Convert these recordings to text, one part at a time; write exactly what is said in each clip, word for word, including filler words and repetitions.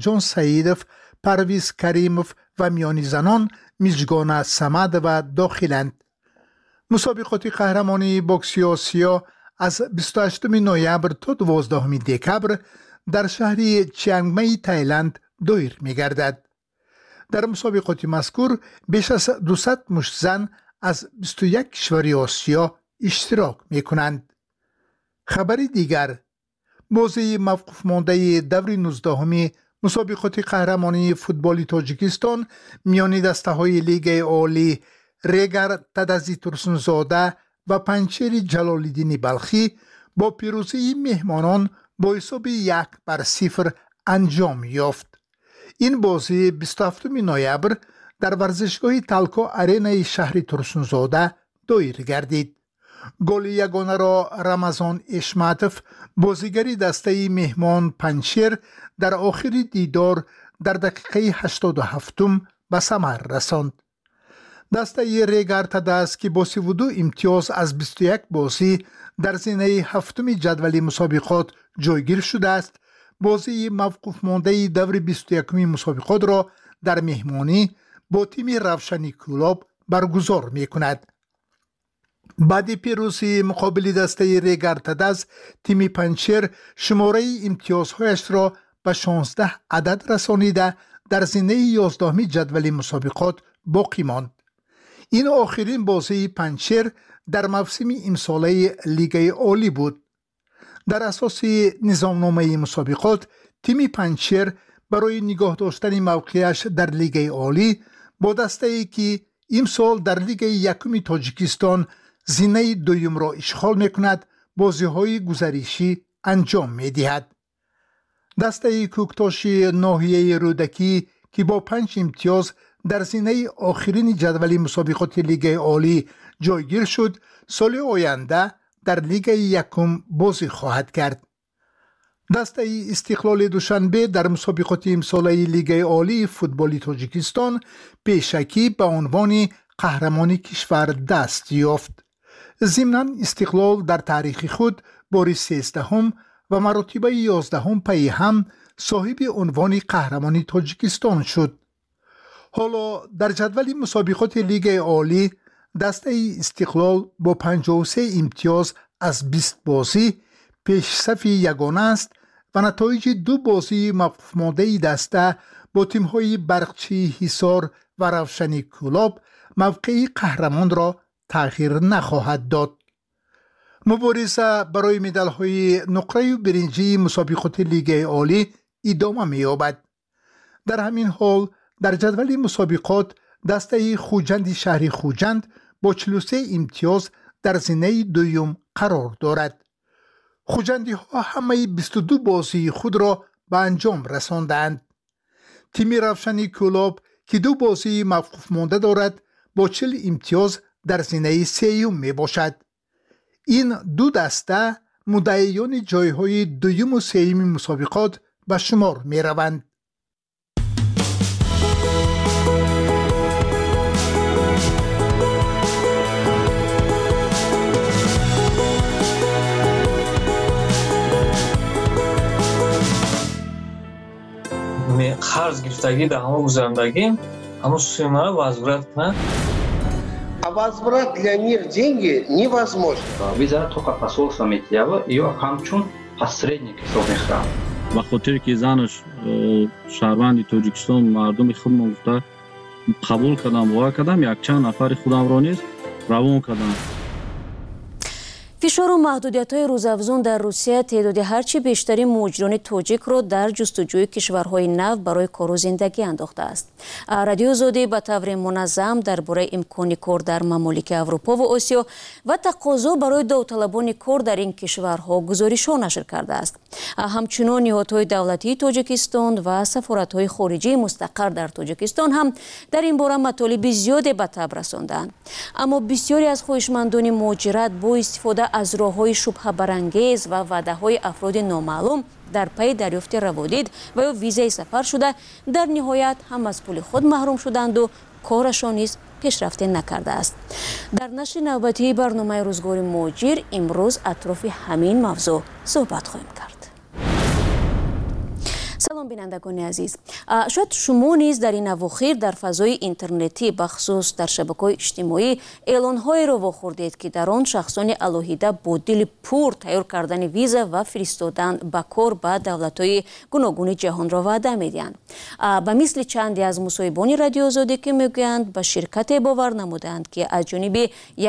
Ҷон Саидов, Парвиз Каримов ва миёни занон Мижгона Самадова дохиланд. Мусобиқоти қаҳрамонии бокси Осиё аз бисту ҳаштуми ноябр то дувоздаҳуми декабр дар шаҳри Чиангмаи Таиланд доир мегардад. Дар мусобиқоти мазкур беш аз дусад муштзан аз бисту як кишвари Осиё иштирок мекунанд. Хабари дигар: бозии мавқуфмондаи даври нуздаҳуми мусобиқоти қаҳрамонии футболи Тоҷикистон миёни дастаҳои Лигаи Олӣ Регар Тадази Турсунзода ва Панҷшери Ҷалолиддини Балхӣ бо пирӯзии меҳмонон бо ҳисоби як бар сифр анҷом ёфт. Ин бозӣ бисту ҳафтуми ноябр дар варзишгоҳи Талко Аренаи шаҳри Турсунзода доир гардид. Голи ягонаро Рамазон Эшматов, бозигари дастаи меҳмон Панҷшер, дар охири дидор дар дақиқаи ҳаштоду ҳафтум ба самар расонд. Дастаи Регар Тадаз, ки бо сиву ду имтиёз аз бисту як бозӣ дар зинаи ҳафтуми ҷадвали мусобиқот ҷойгир шудааст, бозии мавқуфмондаи даври бисту якуми мусобиқотро дар меҳмонӣ бо тими Равшани Кӯлоб баргузор мекунад. Баъди пирӯзии муқобили дастаи Регар Тадаз, тими Панҷшер шумораи имтиёзҳояшро ба шонздаҳ адад расонида дар зинаи ёздаҳуми ҷадвали мусобиқот боқӣ монд. Ин охирин бозии Панҷшер дар мавсими имсолаи Лигаи Олӣ буд. Дар асоси низомномаи мусобиқот, тими Панҷшер барои нигоҳ доштани мавқеаш дар Лигаи Олӣ бо дастае, ки имсол дар Лигаи якуми Тоҷикистон зинаи дуюмро ишғол мекунад, бозиҳои гузаришӣ анҷом медиҳад. Дастаи Кӯктоши ноҳияи Рӯдакӣ, ки бо панҷ имтиёз дар зинаи охирини ҷадвали мусобиқоти Лигаи Олӣ ҷойгир шуд, соли оянда дар Лигаи якум бозӣ хоҳад кард. Дастаи Истиқлоли Душанбе дар мусобиқоти имсолаи Лигаи Олии футболи Тоҷикистон пешакӣ ба унвони қаҳрамони кишвар даст ёфт. Зимнан Истиқлол дар таърихи худ бори сездаҳум ва маротибаи ёздаҳум пайи ҳам соҳиби унвони қаҳрамони Тоҷикистон шуд. Ҳоло дар ҷадвали мусобиқоти Лигаи Олӣ дастаи Истиқлол бо панҷоҳу се имтиёз аз бист бозӣ пешсафи ягона аст ва натоиҷи ду бозии мавқуфмондаи даста бо тимҳои Барқчии Ҳисор ва Равшани Кӯлоб мавқеи қаҳрамонро тағйир нахоҳад дод. Мубориза барои медалҳои нуқраю биринҷии мусобиқоти Лигаи Олӣ идома меёбад. Дар ҳамин ҳол дар ҷадвали мусобиқот дастаи Хуҷанди шаҳри Хуҷанд бо чилу се имтиёз дар зинаи дуюм қарор дорад. Хуҷандиҳо ҳамаи бисту ду бозии худро ба анҷом расондаанд. Тими Равшани Кӯлоб, ки ду бозии мавқуфмонда дорад, бо чил имтиёз дар зинаи сеюм мебошад. Ин ду даста муддаиёни ҷойҳои дуюму сеюми мусобиқот ба шумор мераванд. Қарз гирифтагӣ дар ҳамон гузарандагӣ ҳамон суммаро возврат кунад. А возврат для них деньги невозможно. Виза только посольство метиява ё ҳамчун посредник ҳисоб мехӯрад. Ба хотире ки занаш шаҳрванди Тоҷикистон, мардуми худмон гуфта қабул кардам, бовар кардам, якчанд нафари худамро низ равон кардам. Фишору маҳдудиятҳои рӯзафзун дар Русия теъдоди ҳарчи бештари муҳоҷирони тоҷикро дар ҷустуҷӯи кишварҳои нав барои кору зиндагӣ андохтааст. Радиои Озодӣ ба таври муназзам дар бораи имкони кор дар мамолики Аврупо ва Осиё ва тақозо барои довталабони кор дар ин кишварҳо гузоришҳо нашр кардааст. Ҳамчунон ниҳодҳои давлатии Тоҷикистон ва сафоратҳои хориҷии мустақар дар Тоҷикистон ҳам дар ин бора матолиби зиёде ба таб расондаанд. Аммо бисёре аз хоҳишмандони муҳоҷират бо истифода аз роҳҳои шубҳабарангез ва ваъдаҳои афроди номаълум дар пайи дарёфти раводид ва ё визаи сафар шуда, дар ниҳоят ҳам аз пули худ маҳрум шуданду корашон низ пешрафте накардааст. Дар нашри навбатии барномаи рӯзгори муҳоҷир имрӯз атрофи ҳамин мавзӯъ суҳбат хоҳем кард. Салом, бинандагони азиз. Шояд шумо низ дар ин авохир дар фазои интернетӣ, бахусус дар шабакаҳои иҷтимоӣ, эълонҳоеро вохӯрдед, ки дар он шахсони алоҳида бо дили пур тайёр кардани виза ва фиристодан ба кор ба давлатҳои гуногуни ҷаҳонро ваъда медиҳанд. Ба мисли чанде аз мусоҳибони Радиоозодӣ, ки мегӯянд, ба ширкате бовар намуданд, ки аз ҷониби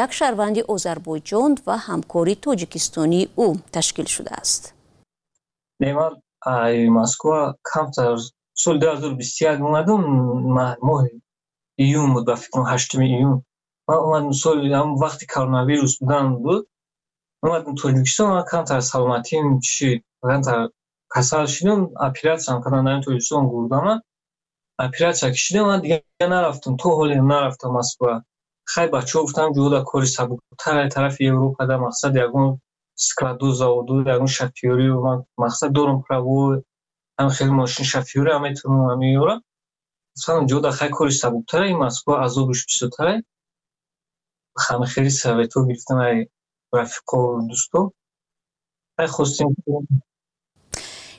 як шаҳрванди Озарбойҷон ва ҳамкори тоҷикистонии ӯ ташкил шудааст. Ай Москва камтар соли ду ҳазору бисту як омадам, моҳи июн буд, ба фикрам, ҳаштуми июн. Ман омадам, соли ҳам вақти коронавирус будан буд. Омадам Тоҷикистон, ман камтар саломатиам чӣ, камтар касал шудам, оператсиям кардам дар Тоҷикистон, гурдама. Оператсия кашидам, ман дигар нарафтам, то ҳоле нарафтам Москва. Хай, бачаҳо гуфтам, ҷода кори сабуктар тарафи Европа да, мақсад ягон складу, заводу, ягон шофёрӣ, ман мақсад дорам, право, ҳам хеле мошин шофёрӣ ҳам метавонам, ҳам меёрам. Гуфтам, ҷода хай кори сабуктара, ин Москва азобиш бисёртара. Ҳам хеле советҳо гирифтам ай рафиқо, дӯсто. Хай, хостем.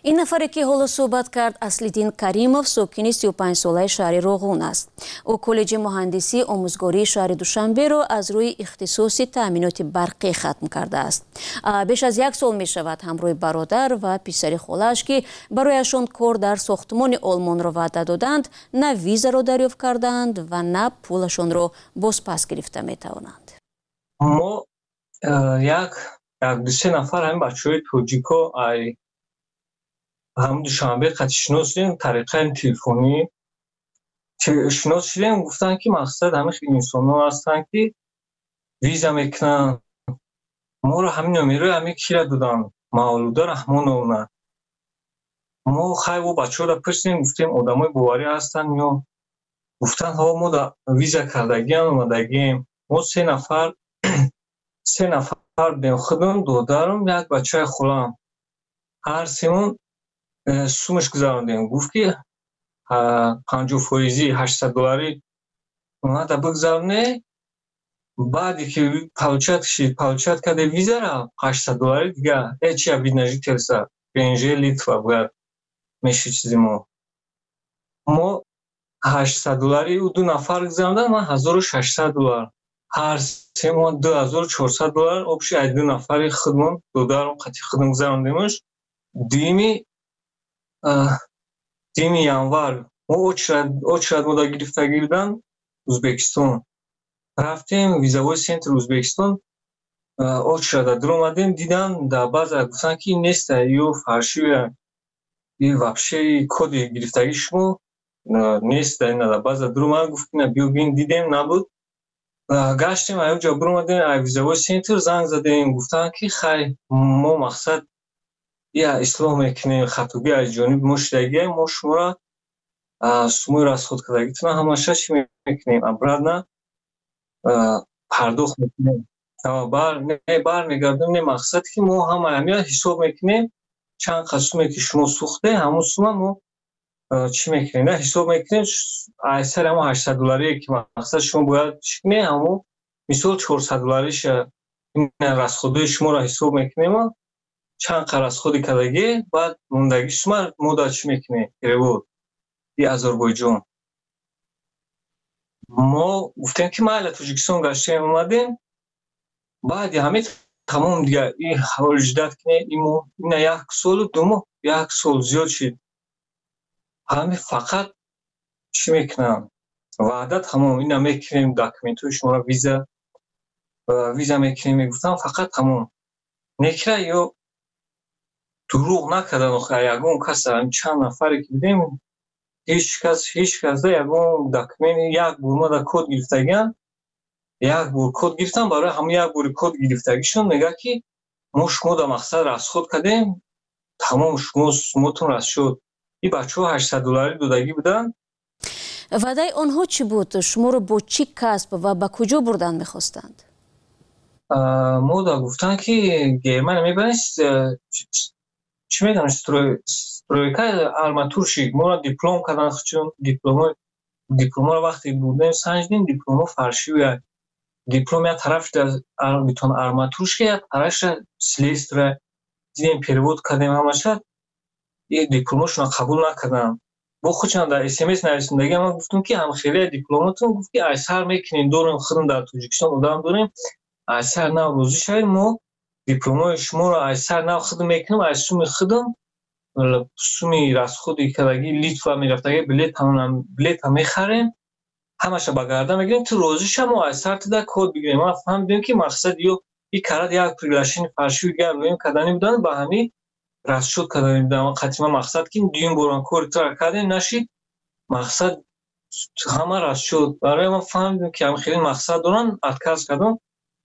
Ин нафаре, ки ҳоло суҳбат кард, Аслиддин Каримов, сокини сию панҷсолаи шаҳри Роғун аст. Ӯ коллеҷи муҳандисии омӯзгории шаҳри Душанберо аз рӯи ихтисоси таъминоти барқӣ хатм кардааст. Беш аз як сол мешавад, ҳамроҳи бародар ва писари холааш, ки барояшон кор дар сохтмони Олмонро ваъда доданд, на визаро дарёфт кардаанд ва на пулашонро бозпас гирифта метавонанд. Мо як як дусе нафар ҳамин бачаҳои тоҷико ай ҳам Душанбе қати шинос шудем, тариқаи телефонӣ шинос шудем. Гуфтанд, ки мақсад ҳамин хел инсонҳо ҳастанд, ки виза мекунанд. Моро ҳамин номерои ҳамин кира доданд, Мавлуда Раҳмоновна. Мо хай бо бачаҳоро пурсидем, гуфтем, одамои боварӣ ҳастанд ё? Гуфтанд, ҳо, мо виза кардагиам, омадагием. Мо се нафар се нафар будем: худам, додарам, як бачаи холам. Ҳар семон сумаш гузарондем. Гуфт, ки панҷоҳ фоизӣ, ҳаштсад долларӣ омада бигзароне, баъде ки получать шид, получать карде визара, ҳаштсад доллари дига э чи вид на жительство, П Н Ж, Литва бояд меши чизи. мо мо ҳаштсад доллари ӯ ду нафар гузарондам, ман ҳазору шашсад доллар, ҳар семон ду ҳазору чорсад доллар общий ай ду нафари худмон, додарам қати худам гузарондемаш. дуюми дуюми январ мо очередь мода гирифтагӣ будан. Узбекистон рафтем, визовой центр Узбекистон, очереда дуромадем, дидан, дар баъза гуфтанд, ки неста, ё фальшивая и вообще коди гирифтагии шумо нест дар баъза. Дуромад, гуфт, ки биё бин, дидем, набуд. Гаштем, аёҷа буромадем ай визовой центр, занг задем, гуфтанд, ки хай, мо мақсад я ислоҳ мекунем, хатогӣ аз ҷониби мо шудагия, мо шуморо сумои расход кардагитона ҳамаша чӣ мекунем, обратно пардохт мекунем, бармегардонем. Не, мақсад ки мо ҳама ҳамия ҳисоб мекунем, чанд қад суме ки шумо сӯхте, ҳамон сума мо чӣ мекунем, ҳисоб мекунем. Ай сари ҳамон ҳаштсад долларие ки мақсад шумо бояд чӣ кунед, ҳамон мисол чорсад доллариша расходои шуморо ҳисоб мекунем, чанд қад расходи кардагӣ, баъд мондагӣ сума мо дар чӣ мекунем, перевод и Озарбойҷон. Мо гуфтем, ки майла, Тоҷикистон гаштем, омадем. Баъди ҳамин тамом дига и ҳоли ждать кунем, ина як солу ду моҳ, як сол зиёд шид. Ҳами фақат чӣ мекунам, ваъда, тамом, ина мекунем, документҳои шуморо, виза виза мекунем, мегуфтам, фақат тамом некира. Ё дурӯғ накардан, охир ягон кас, чанд нафаре ки будем, ҳеҷ кас ҳеҷ касда ягон документ. Як бор мо да код гирифтагиам, як бор код гирифтам, барои ҳамон як бори код гирифтагишон мегӯяд, ки мо шумо да мақсад расход кардем, тамом, шумо сумотон расшуд. И бачаҳо ҳаштсад долларӣ додагӣ буданд. Ваъдаи онҳо чӣ буд? Шуморо бо чӣ касб ва ба куҷо бурдан мехостанд? Мо да гуфтанд, ки Германия мебарем, чӣ медонам, стройка, арматурщик. Моро диплом кардан, чун дипломоро вақте бурдем, санҷидем, дипломо фальшивая. Диплом як тараф битон арматурщик, як тарафша слесаря. Дидем, перевод кардем ҳамаша. Дипломошона қабул накардам. Бо худшон дар С М С нависондагӣ. Ман гуфтам, ки ҳамхелия дипломатон. Гуфт, ки айсар мекунем, дорем, худам дар Тоҷикистон одам дорем, айсар нав розӣ шавем, мо дипломои шуморо айсар нав худам мекунем, ай суми худам, суми расходи кардагӣ, Литва мерафтагӣ, билета мехарем, ҳамаша ба гардан мегирем, ту розӣ ша, мо айсар туда код бигирем. Ман фаҳмидем, ки мақсад ё и карад як приглашение фальшивый гап рӯем кардани буданд, ба ҳамин расчёт кардани буданд. Қатима мақсад, ки дуюм борам кори тура кардем, нашид, мақсад ҳама расчёт. Барои ман фаҳмидем, ки ҳам хеле мақсад доранд, отказ кардам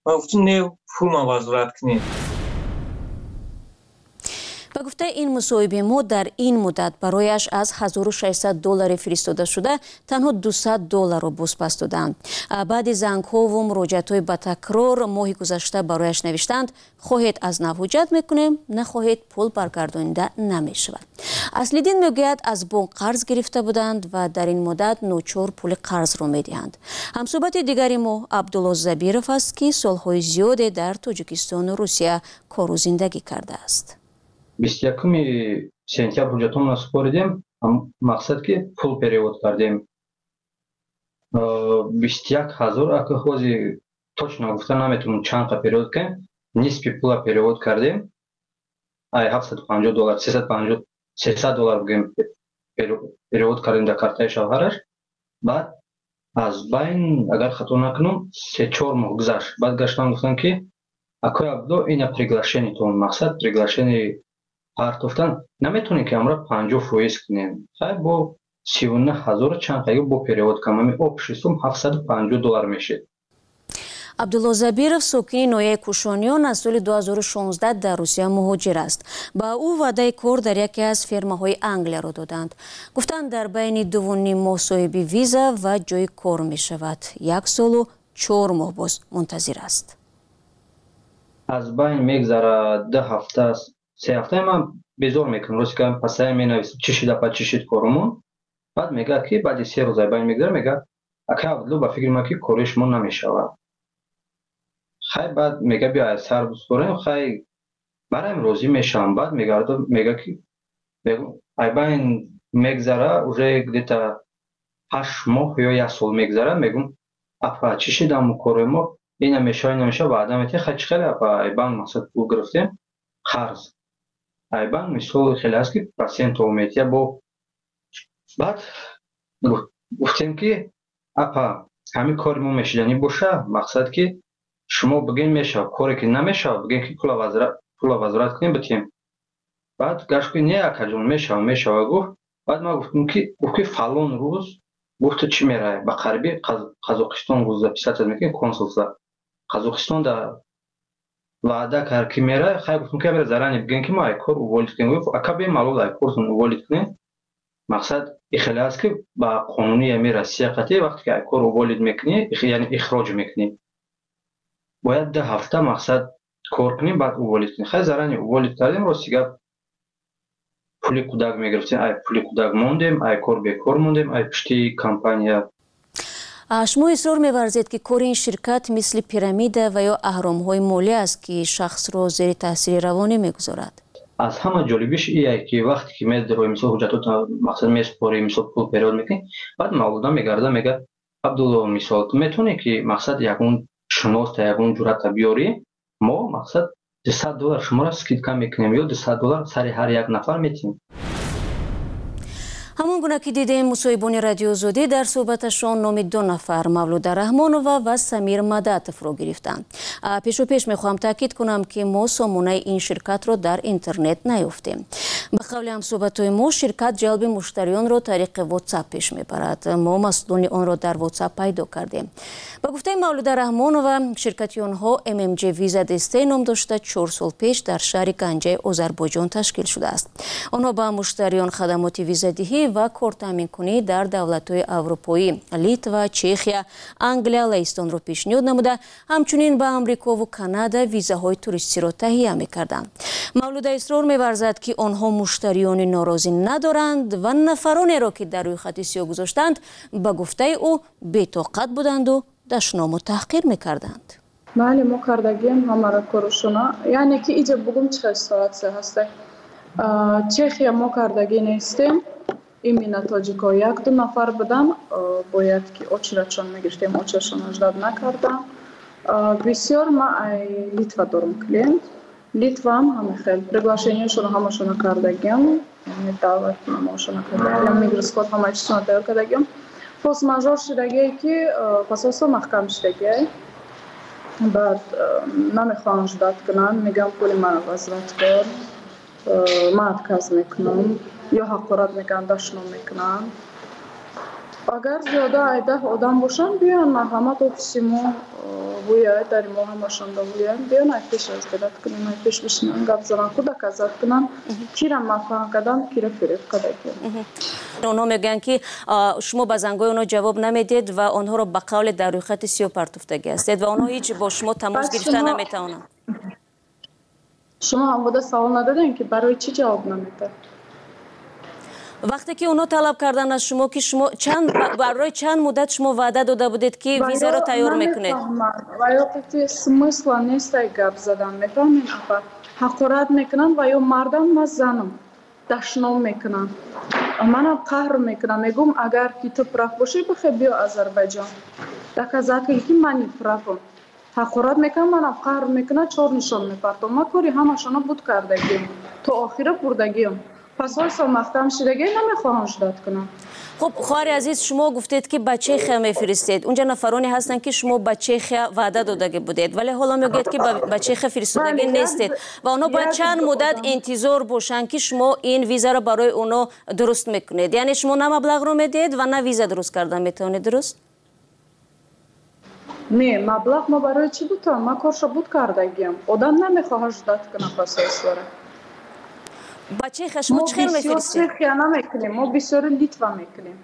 ва гуфтем, не, пулма возврат кунед. Ба гуфтаи ин мусоҳиби мо, дар ин муддат барояш аз ҳазору шашсад доллари фиристодашуда танҳо дусад долларро бозпас доданд. Баъди зангҳову муроҷиатҳои ба такрор моҳи гузашта барояш навиштанд: хоҳед, аз нав ҳуҷҷат мекунем, нахоҳед, пул баргардонида намешавад. Аслиддин мегӯяд, аз бонк қарз гирифта буданд ва дар ин муддат ночор пули қарзро медиҳанд. Ҳамсӯҳбати дигари мо Абдулло Забиров аст, ки солҳои зиёде дар Тоҷикистону Русия кору зиндагӣ кардааст. Бисту якуми сентябр ҳуҷҷатонро супоридем, мақсад ки пул перевод кардем, бисту як ҳазор. Ака, ҳози точно гуфта наметавонам, чанд қа перевод кардем. Нисфи пула перевод кардем, ай ҳафтсаду панҷоҳ доллар, сесаду панҷоҳ, сесад доллар бигӯем, перевод кардем дар картаи шавҳараш. Баъд аз байн, агар хато накунам, се чор моҳ гузашт. Баъд гаштан, гуфтанд, ки акои Абдулло, ина приглашениетон, мақсад приглашение партофтан, наметавонем, ки амра панҷоҳ фоиз кунем. Хай, бо сиву нӯҳ ҳазору чанд қайё бо перевод кам, ами общий сум ҳафтсаду панҷоҳ доллар мешид. Абдулло Забиров, сокини ноҳияи Кушониён, аз соли ду ҳазору шонздаҳ дар Русия муҳоҷир аст. Ба ӯ ваъдаи кор дар яке аз фермаҳои Англияро доданд. Гуфтанд, дар байни дуву ним моҳ соҳиби виза ва ҷои кор мешавад. Як солу чор моҳ боз мунтазир аст. Аз байн мегзарад ду ҳафта, се ҳафта, ман безор мекунам, рости гап, пасая менависам: чӣ шид, апа, чӣ шид корумон? Баъд мегӯяд, ки баъди се рӯз ай байн мегзара, мегӯяд: ака Абдулло, ба фикри ман, ки кори шумо намешавад. Хай, баъд мега, биё ай сар бисупорем. Хай, бараем, розӣ мешавам. Баъд мегарда, мега, ки ай байн мегзара уже где-то ҳашт моҳ ё як сол мегзара. Мегӯм: апа, чӣ шид аму кори мо? Ина мешава, ина мешава, ваъда метиҳ. Хай, чӣ хеле, апа, ай банк мақсад пул гирифтем қарз, ай банк мисол хеле аст, ки процентҳо метиҳа. Бо баъд гуфтем, ки апа, ҳамин кори мо мешиданӣ боша, мақсад ки шумо бигӯед мешавад, коре ки намешавад, бигӯед, ки пула возврат кунем, битем. Баъд гашт, ки не, акаҷон, мешава, мешава, гуфт. Баъд ман гуфтам, ки гуфт, ки фалон рӯз, гуфту, чӣ мераве ба қариби Қазоқистон, гуфт, записаться мекунем консулство Қазоқистон да ваъда кард, ки мераве. Хай, гуфтам, ки заранее бигӯем, ки мо ай кор уволить кунем. Гуфт: ака, бемалол ай кортон уволить кунем. Мақсад ихеле аст, ки ба қонуни ами Россия қатъи вақте ки ай кор уволить мекунӣ, яъне ихроҷ мекунӣ, бояд ду ҳафта мақсад кор кунӣ, баъд уволить кунӣ. Хай, заранее уволить кардем. Рости гап, пули кӯдак мегирифтем, ай пули кӯдак мондем, ай кор бекор мондем, ай пушти компания. Шумо исрор меварзед, ки кори ин ширкат мисли пирамида ва ё аҳромҳои молӣ аст, ки шахсро зери таъсири равонӣ мегузорад. Аз ҳама ҷолибиш ие, ки вақте ки медарои, мисол, ҳуҷҷатото мақсад месупорӣ, мисол, пул перевод мекунӣ, баъд мавлуда мегарда, мега: Абдулло, мисол, ту метавонӣ, ки мақсад ягон шиноста, ягон ҷуръата биёрӣ, мо мақсад дусад доллар шуморо скидка мекунем ё дусад доллар сари ҳар як нафар метиҳем. Ҳамон гуна ки дидем, мусоҳибони Радиоозодӣ дар суҳбаташон номи ду нафар, Мавлуда Раҳмонова ва Самир Мадатовро, гирифтанд. Пешопеш мехоҳам таъкид кунам, ки мо сомонаи ин ширкатро дар интернет наёфтем. Ба қавли ҳамсӯҳбатҳои мо, ширкат ҷалби муштариёнро тариқи WhatsApp пеш мебарад. Мо масъулони онро дар WhatsApp пайдо кардем. Ба гуфтаи Мавлуда Раҳмонова, ширкати онҳо M M J Visa Deste ном дошта, чор сол пеш дар шаҳри Ганҷаи Озарбойҷон ташкил шудааст. Онҳо ба муштариён хадамоти визадиҳӣ ва кортаъминкунӣ дар давлатҳои аврупоӣ, Литва, Чехия, Англия, Лаҳистонро пешниҳод намуда, ҳамчунин ба Амрикову Канада визаҳои туристиро таҳия мекарданд. Мавлуда исрор меварзад, ки онҳо муштариёни норозӣ надоранд ва нафаронеро, ки дар рӯйхати сиёҳ гузоштанд, ба гуфтаи ӯ, бетоқат буданду дашному таҳқир мекарданд. Бале, мо кардагием ҳамаро корушона. Яъне ки иҷа бугум, чӣ хел ситуация ҳаста? Чехия мо кардагӣ нестем. Именно тоҷико як ду нафар будам, бояд ки очередшон мегирифтем, очередшон ждать накардам. Бисёр ма ай Литва дорум клиент. Литваам ҳама хел приглашениешонро ҳамашона кардагиам, яъне даъватномаошона кардагиам, мигроскод ҳама чизшона тайёр кардагиам. Форс-мажор шудагие, ки посольство маҳкам шудагие. Баъд намехоҳам ждать кунанд, мегӯям, пули маро возврат кор, ман отказ мекунам, ё ҳақорат мекунанд, дашном мекунанд. Агар зиёда ай даҳ одам бошанд, биёянд, марҳамат, офиси мо гӯяд, дари мо ҳамашонда гӯянд, биёянд, ай пеш разделать кунем, ай пеш бишинанд, гап зананд, худ доказать кунанд, кира мафаҳм карданд, кира фиреб кардагиям. Онҳо мегӯянд, ки шумо ба зангҳои онҳо ҷавоб намедиҳед ва онҳоро ба қавле дар рӯйхати сиёҳ партофтагӣ ҳастед ва онҳо ҳеҷ бо шумо тамос гирифта наметавонанд. Шумо ҳам буда савол надодем, ки барои чӣ ҷавоб намедиҳад? Вақте ки онҳо талаб карданд аз шумо, ки шумо чанд, барои чанд муддат шумо ваъда дода будед, ки визаро тайёр мекунед? Ва ё қати смысла нестай гап задан, мефаҳмед, апа? Ҳақорат мекунанд, ва ё мардам, ма занам, дашном мекунанд, манам қаҳр мекунам. Мегӯм, агар ки ту прав бошӣ, бихе биё Озарбайҷон, доказать кун, ки ман неправам. Ҳақорат мекунам, манам қаҳр мекунам, чор нишон мепартом. Ма кори ҳамашона буд кардагиам, то охира бурдагиам. Посольство маҳкам шудагӣ, намехоҳам ждать кунам. Хуб, хоҳари азиз, шумо гуфтед, ки ба Чехия мефиристед. Унҷа нафароне ҳастанд, ки шумо ба Чехия ваъда додагӣ будед, вале ҳоло мегӯяд, ки ба Чехия фиристодагӣ нестед ва онҳо бояд чанд муддат интизор бошанд, ки шумо ин визаро барои онҳо дуруст мекунед. Яъне шумо на маблағро медиҳед ва на виза дуруст кардан метавонед, дуруст? Не, маблағ мо барои чӣ бутам? Ма коршо буд кардагиам. Одам намехоҳад ждать кунад посольствора. Ба Чехия шумо чӣ хел мефиристед? Чехия намекунем, мо бисёри Литва мекунем.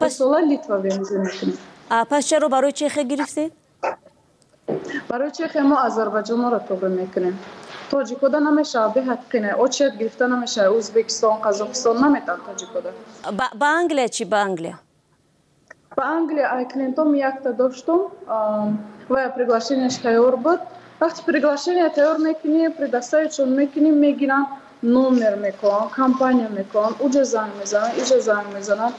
Сола Литва виза мекунем. Пас чаро барои Чехия гирифтед? Барои Чехия мо Озарбайҷонро тоғри мекунем. Тоҷикода намешавад, беҳад қина, очередь гирифта намешавад. Ӯзбекистон, Қазоқистон наметавон тоҷикода. Ба Англия чӣ, ба Англия? Ба Англия ай клиентом якта доштум, ва приглашениеш тайёр буд. Вақти приглашение тайёр мекунӣ, предоставитьшон мекунӣ, мегиранд, номер мекунанд, компания мекунанд, уҷа занг мезананд, иҷа занг мезананд,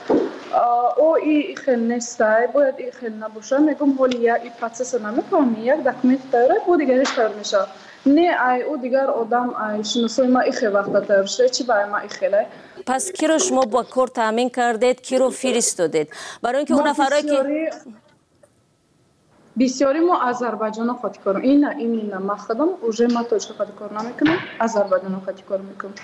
о и хел нестай, бояд и хел набошад. Мегӯм, ҳоли як и процесса намефаҳмӣ, як документ тайёрай, бо дигариш тайёр мешавад. Не, ай ӯ дигар одам, ай шиносои ма ихел вақта тайёр шуда, чӣ ба ай ма ихелай? Пас киро шумо ба кор таъмин кардед, киро фиристодед? Барои ин ки он нафарое ки Бисёри мо Озарбайҷоно хати кор, ина именно ма худам уже ма тоҷика хати кор намекунам, Озарбайҷоно хати кор мекунам.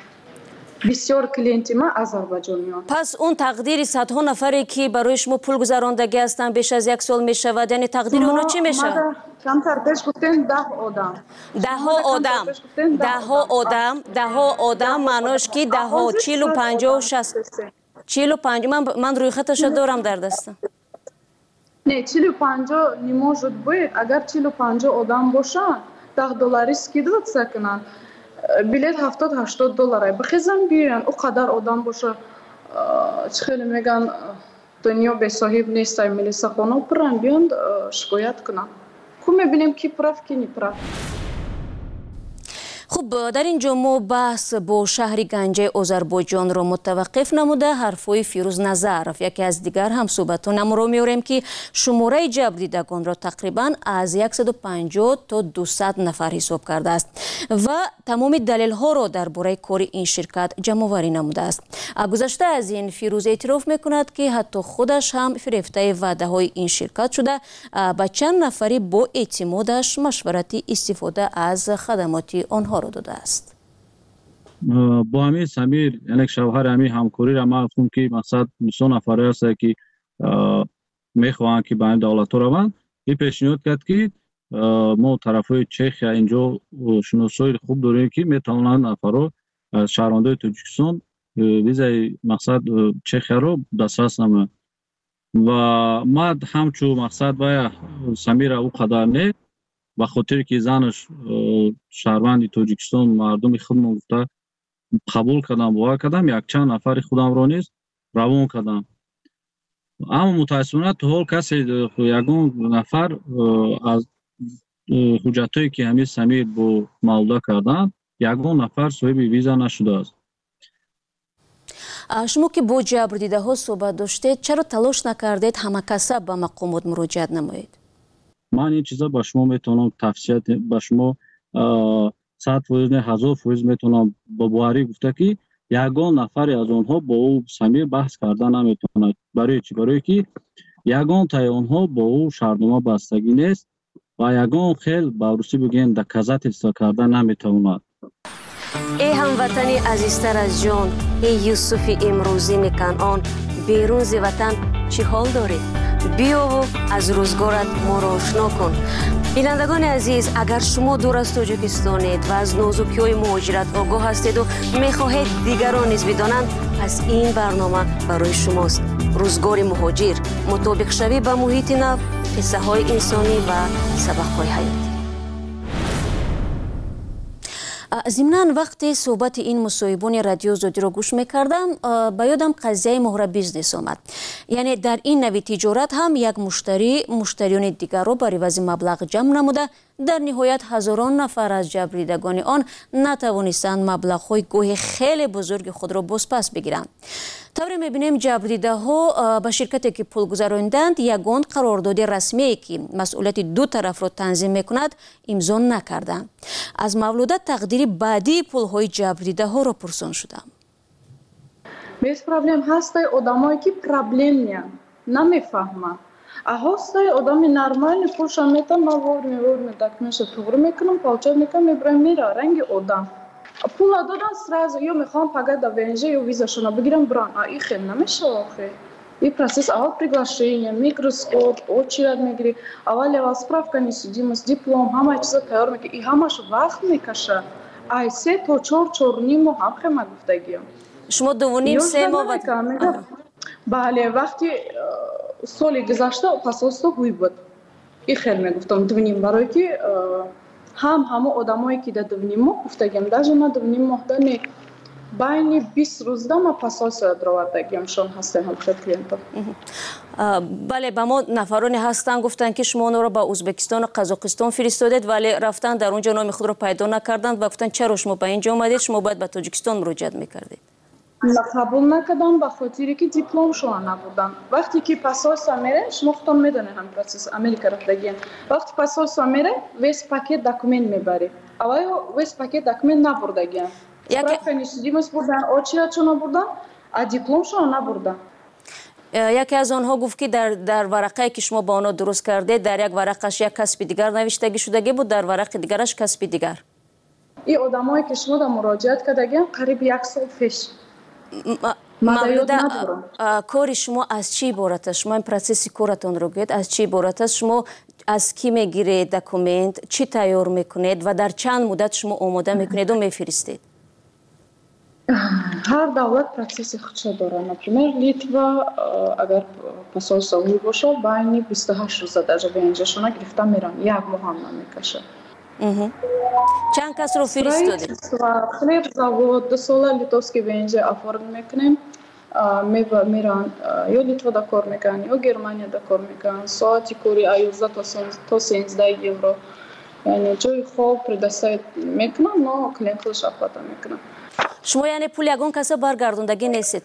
Бисёр клиенти ма озарбайҷониён. Пас он тақдири садҳо нафаре, ки барои шумо пул гузарондагӣ ҳастанд, беш аз як сол мешавад, яъне тақдири онҳо чӣ мешавад? Камтар пеш гуфтем, даҳ одам. Даҳҳо одам, даҳҳо одам, даҳҳо одам, маънош ки даҳҳо, чилу панҷоҳу, шаст, чилу панҷ. Ман рӯйхаташа дорам дар дастам. Не, чилу панҷоҳ не может быть. Агар чилу панҷоҳ одам бошанд, даҳ доллари скидываться кунанд, билет ҳафтод ҳаштод доллара, бихезан биёянд. Ӯ қадар одам боша, чӣ хеле мегӯянд, дунё бесоҳиб нестай, милисахоно пуран, биёнд, шикоят кунанд, ку мебинем, ки прав, ки не прав. Хуб, дар ин ҷо мо баҳс бо шаҳри Ганҷаи Озарбойҷонро мутаваққиф намуда, ҳарфҳои Фирӯз Назаров, яке аз дигар ҳамсӯҳбатонамро меорем, ки шумораи ҷабрдидагонро тақрибан аз яксаду панҷоҳ то дусад нафар ҳисоб кардааст ва тамоми далелҳоро дар бораи кори ин ширкат ҷамъоварӣ намудааст. Гузашта аз ин, Фирӯз эътироф мекунад, ки ҳатто худаш ҳам фирефтаи ваъдаҳои ин ширкат шуда, ба чанд нафари бо эътимодаш машварати истифода аз хадамоти онҳоро додааст. Бо ҳамин Самир, яъне шавҳари ҳамин ҳамкориро ман гуфтам, ки мақсад бисёр нафаре ҳастанд, ки мехоҳанд, ки ба ҳамин давлатҳо раванд. Ин пешниҳод кард, ки мо тарафҳои Чехия инҷо шиносои хуб дорем, ки метавонанд нафарҳо аз шаҳрвандои Тоҷикистон визаи мақсад Чехияро дастрас намоянд. Ва ман ҳамчун мақсад вая Самира ӯ қадар не, ба хотире ки занаш шаҳрванди Тоҷикистон, мардуми худмон гуфта қабул кардам, бовар кардам, якчанд нафари худамро низ равон кардам. Аммо мутаассифона то ҳол касе, ягон нафар аз ҳуҷҷатҳое, ки ҳамин Самир бо Мавлуда карданд. Ягон нафар соҳиби виза нашудааст. Шумо ки бо ҷабрдидаҳо суҳбат доштед, чаро талош накардед ҳамакаса ба мақомот муроҷиат намоед? Ман ин чиза ба шумо метавонам тавсия, ба шумо сад фоиз не, ҳазор фоиз метавонам бо боварӣ гуфта, ки ягон нафаре аз онҳо бо ӯ Самир баҳс карда наметавонад. Барои чӣ? Барое ки ягон таи онҳо бо ӯ шартнома бастагӣ нест ва ягон хел, ба русӣ бигӯем, доказательство карда наметавонад. Эй ҳамватани азизтар аз ҷон, эй Юсуфи имрӯзини Канъон, берун зи ватан чӣ ҳол дорӣ? Биёву аз рӯзгорат моро ошно кун. Бинандагони азиз, агар шумо дур аз Тоҷикистонед ва аз нозукиҳои муҳоҷират огоҳ ҳастеду мехоҳед дигарон низ бидонанд, пас ин барнома барои шумост. Рӯзгори муҳоҷир, мутобиқшавӣ ба муҳити нав, қиссаҳои инсонӣ ва сабақҳои ҳаёт. Зимнан, вақте суҳбати ин мусоҳибони Радио Озодиро гӯш мекардам, ба ёдам қазияи муҳра бизнес омад. Яъне дар ин нави тиҷорат ҳам як муштарӣ муштариёни дигарро бар ивази маблағ ҷамъ намуда, дар ниҳоят ҳазорон нафар аз ҷабрдидагони он натавонистанд маблағҳои гоҳи хеле бузурги худро бозпас бигиранд. Тавре мебинем, ҷабрдидаҳо ба ширкате ки пул гузаронданд, ягон қарордоди расмие ки масъулияти ду тарафро танзим мекунад, имзо накарданд. Аз Мавлуда тақдири баъдии пулҳои ҷабрдидаҳоро пурсон шудам. Без проблем ҳастай одамое ки проблемния, намефаҳманд. А ҳастай одами нормальный, пулшам метам, ман вовремя вовремя документша туғри мекунам, получать мекунам, мебарам, мера ранги одам. Пула додан, сразу ё мехоҳам пага да В Н Ж ё визашона бигирам, буран. А и хел намешава охе. И процесс аввал приглашение, микроскоп, очередь мегирӣ, аввал аввал справка несудимость, диплом, ҳамаи чиза тайёр мекунӣ. И ҳамаш вақт мекаша. Ай се то чор, чорним моҳ ҳам хема гуфтагиям. Шумо дувуним се моҳ? Бале, вақти э, соли гузашта посольство ҳуй буд. И хел мегуфтам дувним, барое ки э, ҳам ҳамо одамое ки да дувним моҳ гуфтагиам, даже ма дувним моҳда не, байни бист рӯзда ма посольство даровардагиам, шон ҳастем ҳамхел клиентов. Бале, ба мо нафароне ҳастанд, гуфтанд, ки шумо онро ба Ӯзбекистону Қазоқистон фиристодед, вале рафтан дар он ҷо номи худро пайдо накарданд ва гуфтанд, чаро шумо ба ин ҷо омадед, шумо бояд ба Тоҷикистон муроҷиат мекардед. Қабул накардам, ба хотире ки дипломшона набурдам. Вақте ки посольство мерем, шумо худтон медонед ҳам процесс, Америка рафтагием, вақте посольство мерем, весь пакет документ мебарӣ. Аввал весь пакет документ набурдагиям. Справка несудимость бурдан, очередшона бурдан, а дипломшона набурдан. Яке аз онҳо гуфт, ки дар, дар варақае ки шумо ба онҳо дуруст кардед, дар як варақаш як касби дигар навиштагӣ шудагӣ буд, дар варақи дигараш касби дигар. И одамое ки шумо да муроҷиат кардагиам, қариб як сол пеш. Мавлуда, кори шумо аз чӣ иборат аст? Шумо ин процесси коратонро гӯед, аз чӣ иборат аст? Шумо аз кӣ мегиред документ, чӣ тайёр мекунед ва дар чанд муддат шумо омода мекунеду мефиристед? Ҳар давлат процесси худша дорад. Например, Литва, агар посольство ҳуй бошад, байни бисту ҳашт рӯза даже В Н Ж-шона гирифта меран, як моҳ ҳам намекашад. Чанд касро фиристодед? Хлебзавод, дусола литовский В Н Ж оформ мекунем, меран, ё Литвада кор мекунанд, ё Германияда кор мекунанд. Соати кори аз ёздаҳ то сенздаҳ евро, яъне ҷои хоб предоставить мекунам, но клиент худаш оплата мекунад. Шумо яъне пули ягон каса баргардондагӣ нестед?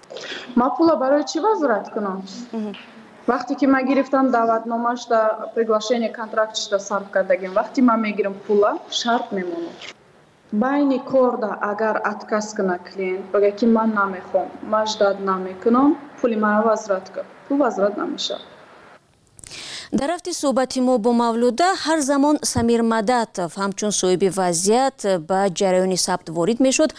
Ман пула барои чӣ возврат кунам, вақте ки ман гирифтам даъватномашда, приглашение, контрактшда сарф кардагим? Вақте ман мегирам пула, шарт мемонам. Байни корда агар отказ кунад клиент, бага ки ман намехоҳам, ман ждать намекунам, пули маро возврат кун, пул возврат намешавад. Дар рафти суҳбати мо бо Мавлуда ҳар замон Самир Мадатов ҳамчун соҳиби вазъият ба ҷараёни сабт ворид мешуд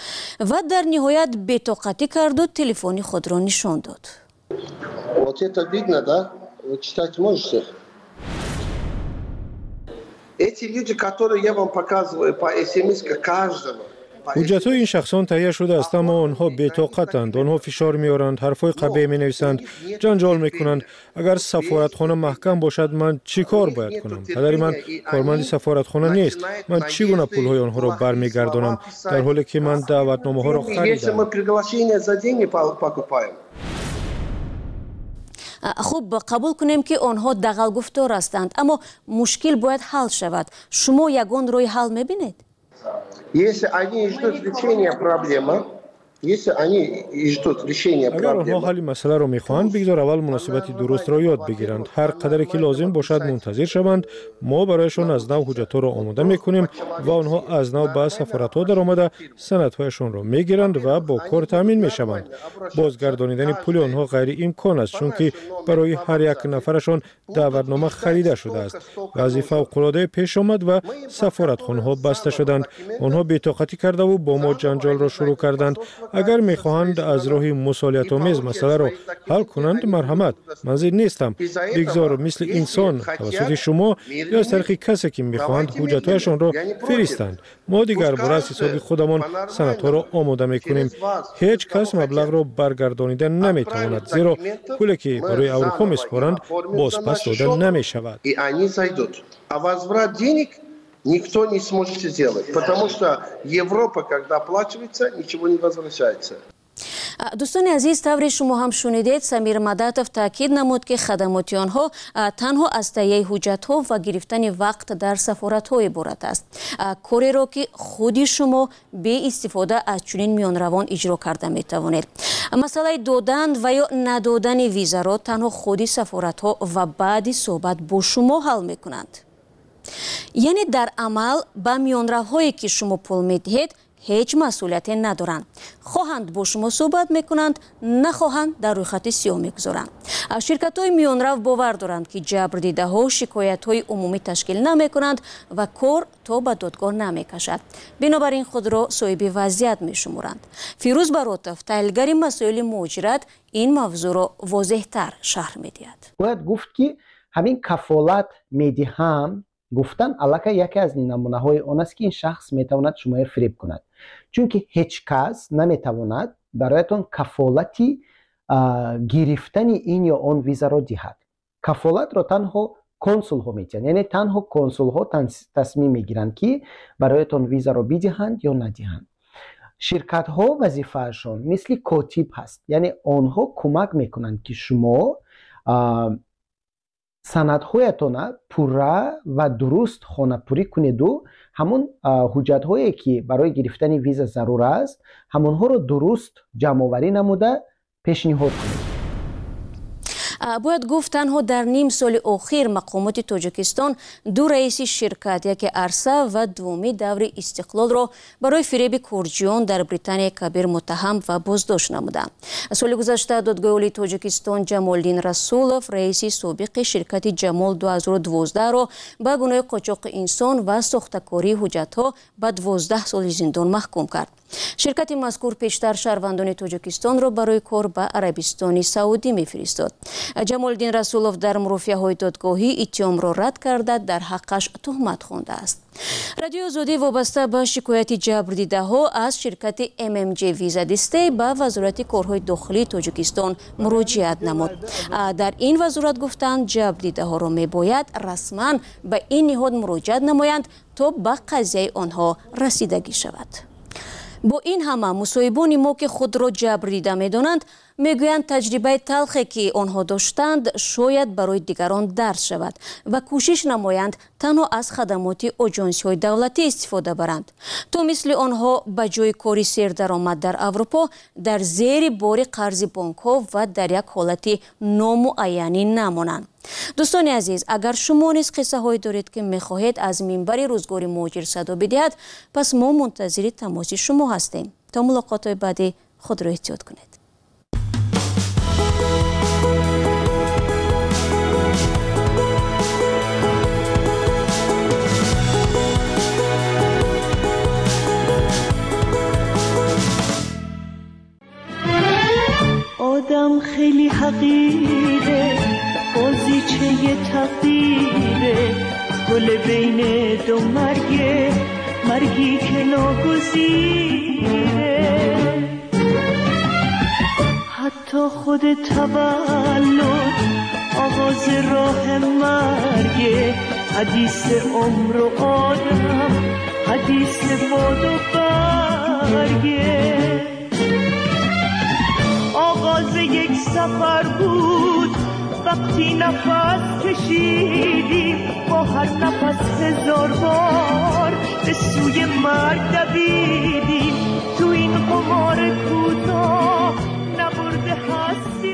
ва дар ниҳоят бетоқатӣ карду телефони худро нишон дод. Вот это видно, да? Вы читать можете? Эти люди, которые я вам показываю по смс, каждого. Ҳуҷҷатҳои ин шахсон таҳия шудааст, аммо онҳо бетоқатанд. Онҳо фишор меоранд, ҳарфҳои қабеҳ менависанд, ҷанҷол мекунанд. Агар сафоратхона маҳкам бошад, ман чӣ кор бояд кунам? Падари ман корманди сафоратхона нест. Ман чӣ гуна пулҳои онҳоро бармегардонам, дар ҳоле ки ман даъватномаҳоро харидам? Хуб, қабул кунем, ки онҳо дағалгуфтор ҳастанд, аммо мушкил бояд ҳал шавад. Шумо ягон роҳи ҳал мебинед? Если они ждут решения проблемы, если они ждут решения Агар онҳо проблемы, ҳалли масъаларо мехоҳанд, бигзор аввал муносибати дурустро ёд бигиранд. Ҳар қадаре ки лозим бошад, мунтазир шаванд. Мо барояшон аз нав ҳуҷҷатҳоро омода мекунем ва онҳо аз нав ба сафоратҳо даромада, санадҳояшонро мегиранд ва бо кор таъмин мешаванд. Бозгардонидани пули онҳо ғайриимкон аст, чунки барои ҳар як нафарашон даъватнома харида шудааст. Вазъи фавқулоддае пеш омад ва сафоратхонаҳо баста шуданд. Онҳо бетоқатӣ кардаву бо мо ҷанҷолро шурӯъ карданд. Агар мехоҳанд аз роҳи мусолиҳатомез масъаларо ҳал кунанд, марҳамат, ман зид нестам. Бигзор мисли инсон тавассути шумо ё аз тариқи касе ки мехоҳанд, ҳуҷҷатҳояшонро фиристанд. Мо дигарбора аз ҳисоби худамон санадҳоро омода мекунем. Ҳеҷ кас маблағро баргардонида наметавонад, зеро пуле ки барои Аврупо месупоранд, бозпас дода намешавад. И они зайдут. А возврат денег никто не сможет сделать, потому что Европа, когда оплачивается, ничего не возвращается. Дӯстони азиз, тавре шумо ҳам шунидед, Самир Мадатов таъкид намуд, ки хадамоти онҳо танҳо аз таҳияи ҳуҷҷатҳо ва гирифтани вақт дар сафоратҳо иборат аст, кореро ки худи шумо беистифода аз чунин миёнравон иҷро карда метавонед. Масъалаи додан ва ё надодани визаро танҳо худи сафоратҳо ва баъди суҳбат бо шумо ҳал мекунанд. Яъне дар амал ба миёнравҳое ки шумо пул медиҳед, ҳеҷ масъулияте надоранд. Хоҳанд, бо шумо суҳбат мекунанд, нахоҳанд, дар рӯйхати сиёҳ мегузоранд. Ширкатҳои миёнрав бовар доранд, ки ҷабрдидаҳо шикоятҳои умумӣ ташкил намекунанд ва кор то ба додгоҳ намекашад. Бинобар ин худро соҳиби вазъият мешуморанд. Фирӯз Баротов, таҳлилгари масоили муҳоҷират, ин мавзӯъро возеҳтар шарҳ медиҳад. Бояд гуфт, ки ҳамин кафолат медиҳам гуфтан аллакай яке аз намунаҳои он аст, ки ин шахс метавонад шуморо фиреб кунад, чунки ҳеҷ кас наметавонад бароятон кафолати гирифтани ин ё он визаро диҳад. Кафолатро танҳо консулҳо медиҳанд, яъне танҳо консулҳо тасмим мегиранд, ки бароятон визаро бидиҳанд ё надиҳанд. Ширкатҳо вазифаашон мисли котиб ҳаст, яъне онҳо кӯмак мекунанд, ки шумо санадҳоятона пурра ва дуруст хонапурӣ кунеду ҳамон ҳуҷҷатҳое, ки барои гирифтани виза зарур аст, ҳамонҳоро дуруст ҷамъоварӣ намуда пешниҳод кунед. Бояд гуфт, танҳо дар ним соли охир мақомоти Тоҷикистон ду раиси ширкат, яке Арса ва дуввуми Даври Истиқлолро барои фиреби корҷиён дар Британияи Кабир муттаҳам ва боздошт намуданд. Соли гузашта Додгоҳи Олии Тоҷикистон Ҷамолиддин Расулов, раиси собиқи ширкати Ҷамол ду ҳазору дувоздаҳро ба гуноҳи қочоқи инсон ва сохтакории ҳуҷҷатҳо ба дувоздаҳ соли зиндон маҳкум кард. Ширкати мазкур пештар шаҳрвандони Тоҷикистонро барои кор ба Арабистони Саудӣ мефиристод. Ҷамолиддин Расулов дар мурофиаҳои додгоҳӣ иттиҳомро рад карда, дар ҳаққаш туҳмат хондааст. Радиои Озодӣ вобаста ба шикояти ҷабрдидаҳо аз ширкати M M J Виза Дистей ба Вазорати корҳои дохилии Тоҷикистон муроҷиат намуд. Дар ин вазорат гуфтанд, ҷабрдидаҳоро мебояд расман ба ин ниҳод муроҷиат намоянд, то ба қазияи онҳо расидагӣ шавад. Бо ин ҳама, мусоҳибони мо, ки худро ҷабрдида медонанд, мегӯянд, таҷрибаи талхе ки онҳо доштанд, шояд барои дигарон дарс шавад ва кӯшиш намоянд танҳо аз хадамоти оҷонсиҳои давлатӣ истифода баранд, то мисли онҳо ба ҷои кори сердаромад дар Аврупо дар зери бори қарзи бонкҳо ва дар як ҳолати номуайянӣ намонанд. Дӯстони азиз, агар шумо низ қиссаҳое доред, ки мехоҳед аз минбари Рӯзгори муҳоҷир садо бидиҳад, пас мо мунтазири тамоси шумо ҳастем. То мулоқотҳои баъдӣ худро эҳтиёт кунед. آدم خیلی حقیره، بازیچه تقدیره، گل بین دو مرگه، مرگی که ناگزیره. حتی خود تولد آغاز راه مرگه، حدیث عمر و آدم حدیث باد و برگه. آغاز یک سفر بود وقتی نفس کشیدیم، با هر نفس هزار بار به به سوی مرگ دویدیم، تو این قمار کوتاه نبرده هستیم.